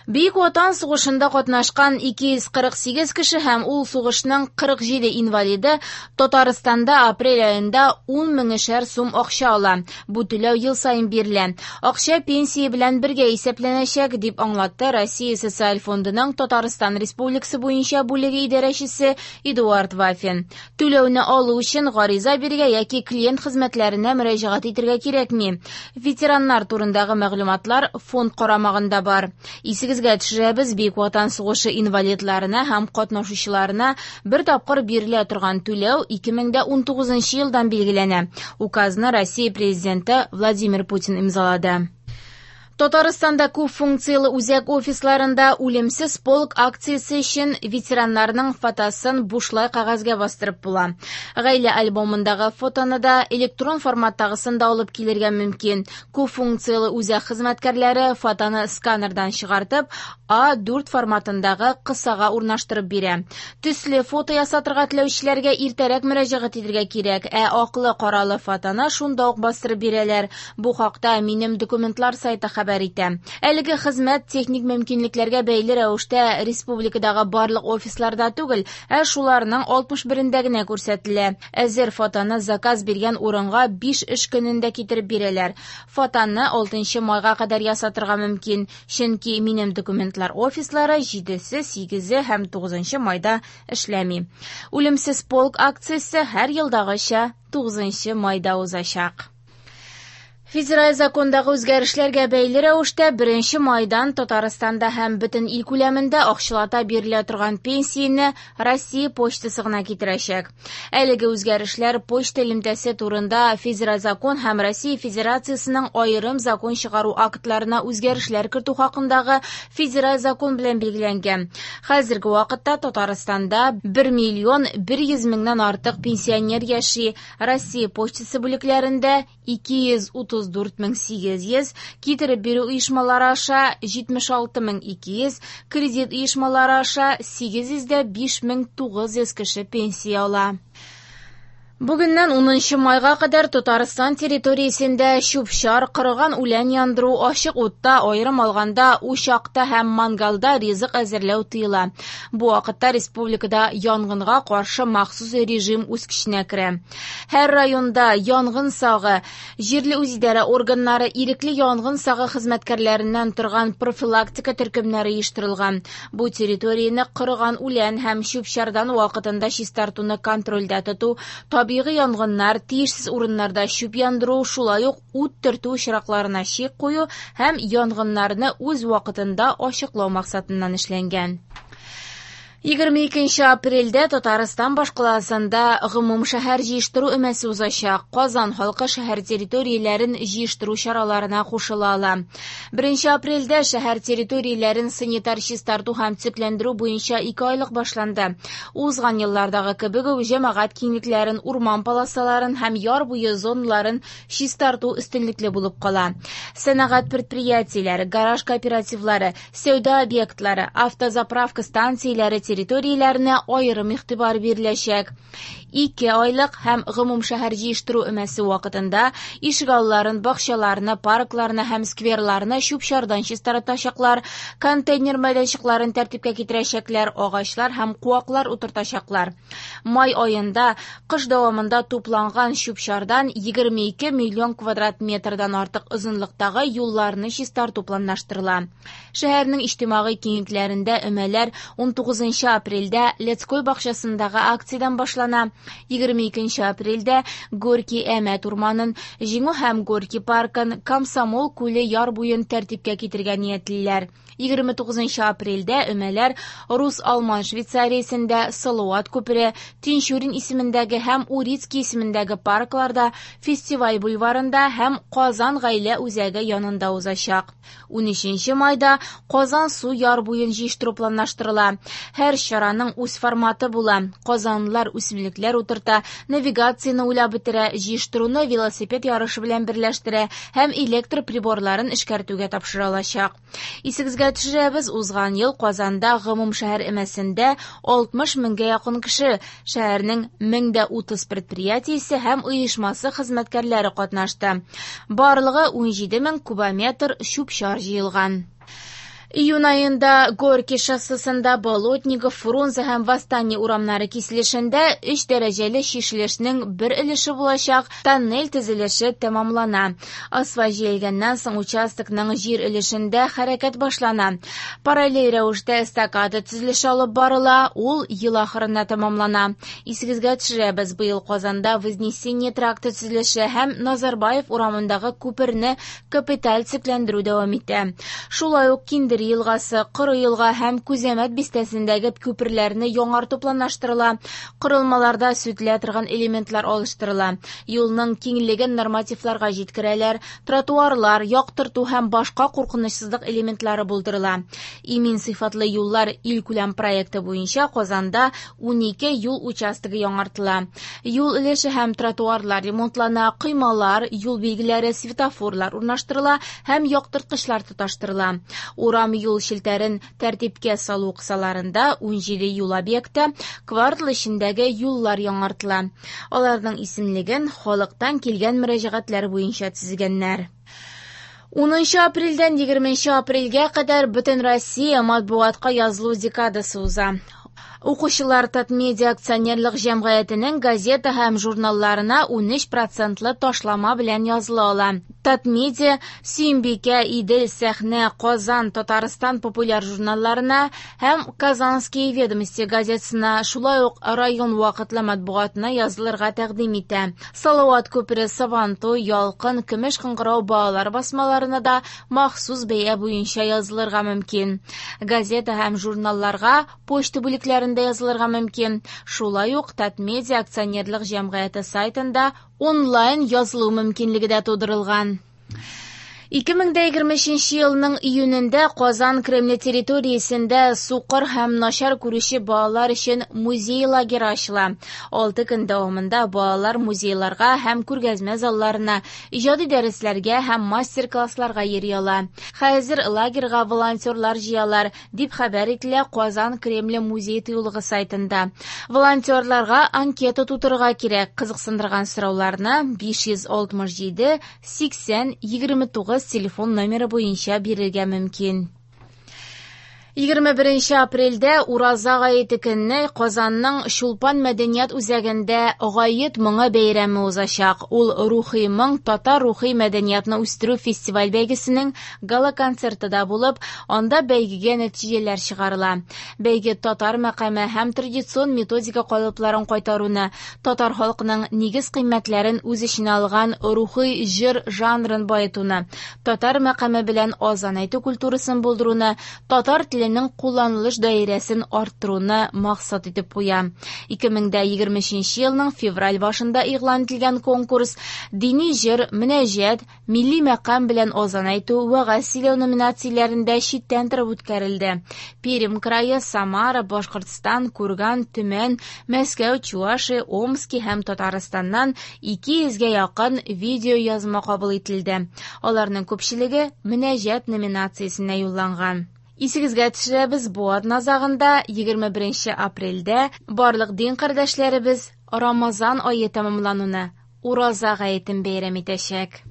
Бөек Ватан сугышында катнашкан 248 кеше һәм ул сугышның 47 инвалиды Татарстанда апрель аенда 10 меңешәр сум акча ала. Бу түләү ел саен бирелә. Акча пенсия белән бергә исәпләнәчәк, дип аңлатты Россия Социаль фондының Татарстан Республикасы буенча бүлеге идарәчесе Эдуард Вафин. Түләүне алу өчен гариза бирергә яки клиент хезмәтләренә мөрәҗәгать итәргә кирәкми. Ветераннар турындагы мәгълүматлар фонд карамагында бар. Исегезгә төшерәбез, Бөек Ватан сугышы инвалидларына һәм катнашучыларына бер тапкыр бирелә торган түләү 2019 елдан билгеләнә. Указны Россия президенты Владимир Путин имзалады. Татарстанда күп функцияле үзәк офисларында «Үлемсез полк» акциясе өчен ветераннарның фотосын бушлай кәгазьгә бастырып була. Гаилә альбомындагы фотоны да, электрон форматтагысын да алып килергә мөмкин. Күп функцияле үзәк хезмәткәрләре фотоны сканердан чыгартып, А4 форматындагы кысага урнаштырып бирә. Төсле фото ясатырга теләүчеләргә иртәрәк мөрәҗәгать итәргә кирәк, ә аклы-каралы фотоны шунда ук бастырып бирәләр. Бу хакта «Минем документлар» сайты хәбәр итә. Әлеге хезмәт техник мөмкинлекләргә бәйле рәвештә республикадагы барлык офисларда түгел, ә шуларның 61-ндә генә күрсәтелә. Әзер фотоны заказ биргән урынга 5 эш көнендә китереп бирәләр. Фотоны 6 майга кадәр ясатырга мөмкин, чөнки «Минем документлар» офислары 7-се, 8-е һәм 9 майда эшләми. «Үлемсез полк» акциясе һәр елдагыча 9 майда узачак. Федераль закондагы үзгәрешләргә бәйле рәвештә 1 майдан Татарстанда һәм бөтен ил күләмендә акчалата бирелә торган пенсияне Россия почтасы гына китерәчәк. Әлеге үзгәрешләр почта элемтәсе турында федераль закон һәм Россия Федерациясенең аерым закон чыгару актларына үзгәрешләр кертү хакындагы федераль закон белән билгеләнгән. Хәзерге вакытта Татарстанда 1 миллион 100 меңнән артык пенсионер яши. Россия почтасы бүлекләрендә 234 800, китереп бирү оешмалары аша 76 200, кредит оешмалары аша 805 900 кеше пенсия ала. Бүгеннән 10 майга кадәр Татарстан территориясендә чүп-чар, корыган үлән яндыру, ачык утта, аерым алганда учакта һәм мангалда ризык әзерләү тыела. Бу вакытта республикада янгынга каршы махсус режим үз көченә керә. Һәр районда янгын сагы, җирле үзидарә органнары ирекле янгын сагы хезмәткәрләреннән торган профилактика төркемнәре оештырылган. Бу территорияне корыган үлән һәм чүп-чардан вакытында чистартуны контрольдә тоту, табигый янгыннар, тиешсез урыннарда чүп яндыру, шулай ук ут төртү очракларына чик кую һәм янгыннарны үз вакытында ачыклау максатыннан эшләнгән. 22 апрельдә Татарстан башкаласында гомум шәһәр җыештыру өмәсе узачак. Казан халкы шәһәр территорияләрен җыештыру чараларына кушыла ала. 1 апрельдә шәһәр территорияләрен санитар чистарту һәм төзекләндерү буенча 2 айлык башланды. Узган еллардагы кебек үк җәмәгать киңлекләрен, урман полосаларын һәм яр буе зоналарын чистарту өстенлекле булып кала. Сәнәгать предприятиеләре, гараж кооперативлары, сәүдә объектлары, автозаправка станцияләре территорияләренә аерым игътибар биреләчәк. 2 айлык һәм гомум шәһәр җыештыру өмәсе вакытында ишегалларын, бакчаларны, паркларны һәм скверларны чүп-чардан чистартачаклар, контейнер мәйданчыкларын тәртипкә китерәчәкләр, агачлар һәм куаклар утыртачаклар. Май аенда кыш дәвамында тупланган чүп-чардан 22 миллион квадрат метрдан артык озынлыктагы юлларны чистарту планлаштырыла. Шәһәрнең иҗтимагый киңлекләрендә өмәләр 19 апрельдә Лядской бакчасындагы акциядән башлана. 22 апрельдә Горький Әмәт урманын, Җиңү һәм Горький паркын, Комсомол күле яр буен тәртипкә китерергә ниятлиләр. 29 апрельдә өмәләр Рус-Алман Швейцариясендә Салават күпере, Тинчурин исемендәге һәм Урицкий исемендәге паркларда, Фестиваль бульварында һәм Казан гаилә үзәге янында узачак. 13 майда Казан су яр буен җыештыру планлаштырыла. Һәр чараның үз форматы була. Казанлылар үсемлекләр утырта, навигацияне уйлап бетерә, җыештыруны велосипед ярышы белән берләштерә һәм электр приборларын эшкәртүгә тапшыра алачак. Исегезгә төшерәбез, узган ел Казанда гомум шәһәр өмәсендә 60 меңгә якын кеше, шәһәрнең 1030 предприятиесе һәм оешмасы хезмәткәрләре катнашты. Барлыгы 17 мең кубометр чүп-чар җыелган. Июнь аенда Горький шоссесында Болотников, Фрунзе һәм Восстание урамнары киселешендә 3 дәрәҗәле чишелешнең бер өлеше булачак тоннель төзелеше тәмамлана. Асфальт җәелгәннән соң участокның җир өлешендә хәрәкәт башлана. Параллель рәвештә эстакада төзелеше алып барыла, ул ел ахырына тәмамлана. Исегезгә төшерәбез, быел Казанда Вознесение тракты төзелеше һәм Назарбаев урамындагы күперне капиталь төзекләндерү дәвам итә. Шулай ук Киндер елгасы, Коры елга һәм Күзәмәт бистәсендәге күперләрне яңарту планлаштырыла. Корылмаларда сүтелә торган элементлар алыштырыла. Юлның киңлеген нормативларга җиткерәләр, тротуарлар, яктырту һәм башка куркынычсызлык элементлары булдырыла. Имин сыйфатлы юллар илкүләм проекты буенча Казанда 12 юл участогы яңартыла. Юл өлеше һәм тротуарлар ремонтлана, коймалар, юл билгеләре, светофорлар урнаштырыла һәм яктырткычлар тоташтырыла. Урам юл челтәрен тәртипкә салу кысаларында 17 юл объекты, квартал эчендәге юллар яңартыла. Аларның исемлеген халыктан килгән мөрәҗәгатьләр буенча төзегәннәр. 10 апрельдән 20 апрельгә кадәр Бөтенроссия матбугатка язылу декадасы уза. Укучылар Татмедиа акционерлык җәмгыятенең газета һәм журналларына 13 процентлы ташлама белән языла ала. Татмедиа, Сөембикә, Идел, Сәхнә, Казан, Татарстан популяр журналларына һәм Казанские ведомости газетасына, шулай ук район вакытлы матбугатына язылырга тәкъдим итә. Салават күпере, Сабантуй, Ялкын, Көмеш кыңгырау балалар басмаларына да махсус бәя буенча язылырга мөмкин. Газета һәм журналларга почта бүлекләрендә язылырга мөмкин. Шулай ук Татмедиа акционерлык җәмгыяте сайтында онлайн язылу мөмкинлеге дә тудырылган. 2023 елның июнендә Казан Кремле территориясендә сукыр һәм начар күрүче балалар өчен музей лагеры ачыла. 6 көн дәвамында балалар музейларга һәм күргәзмә залларына, иҗади дәресләргә һәм мастер-классларга йөри ала. Хәзер лагерьга волонтерлар җыялар, дип хәбәр ителә Казан Кремле музей тыюлыгы сайтында. Волонтерларга анкета тутырырга кирәк. Кызыксындырган сорауларны 567 80 29 телефон номеры буенча бирергә мөмкин. 21 апрельдә Ураза гаете көнне Казанның Чулпан мәдәният үзәгендә Гает моңы бәйрәме узачак. Ул Рухи моң татар рухи мәдәниятны үстерү фестиваль бәйгесенең гала-концерты да булып, анда бәйгегә нәтиҗәләр чыгарыла. Бәйге татар мәкаме һәм традицион методика калыпларын кайтаруны, татар халкының нигез кыйммәтләрен үз эченә алган рухи җыр жанрын баетуны, татар мәкаме белән азан әйтү культурасын булдыруны, татар теленең кулланылыш даирәсен арттыруны максат итеп куя. 2023 елның февраль башында игълан ителгән конкурс дини җыр, мөнәҗәт, милли мәкам белән азан әйтү, вәгазь сөйләү номинацияләрендә читтән торып үткәрелде. Пермь крае, Самара, Башкортстан, Курган, Төмән, Мәскәү, Чувашия, Омски һәм Татарстаннан 200гә якын видео язма кабул ителде. Аларның күпчелеге мөнәҗәт номинациясенә юлланган. Исегезгә төшерәбез, бу атна азагында 21 апрельдә барлык дин кардәшләребез Рамазан ае тәмамлануны, Ураза гаетен бәйрәм итәчәк.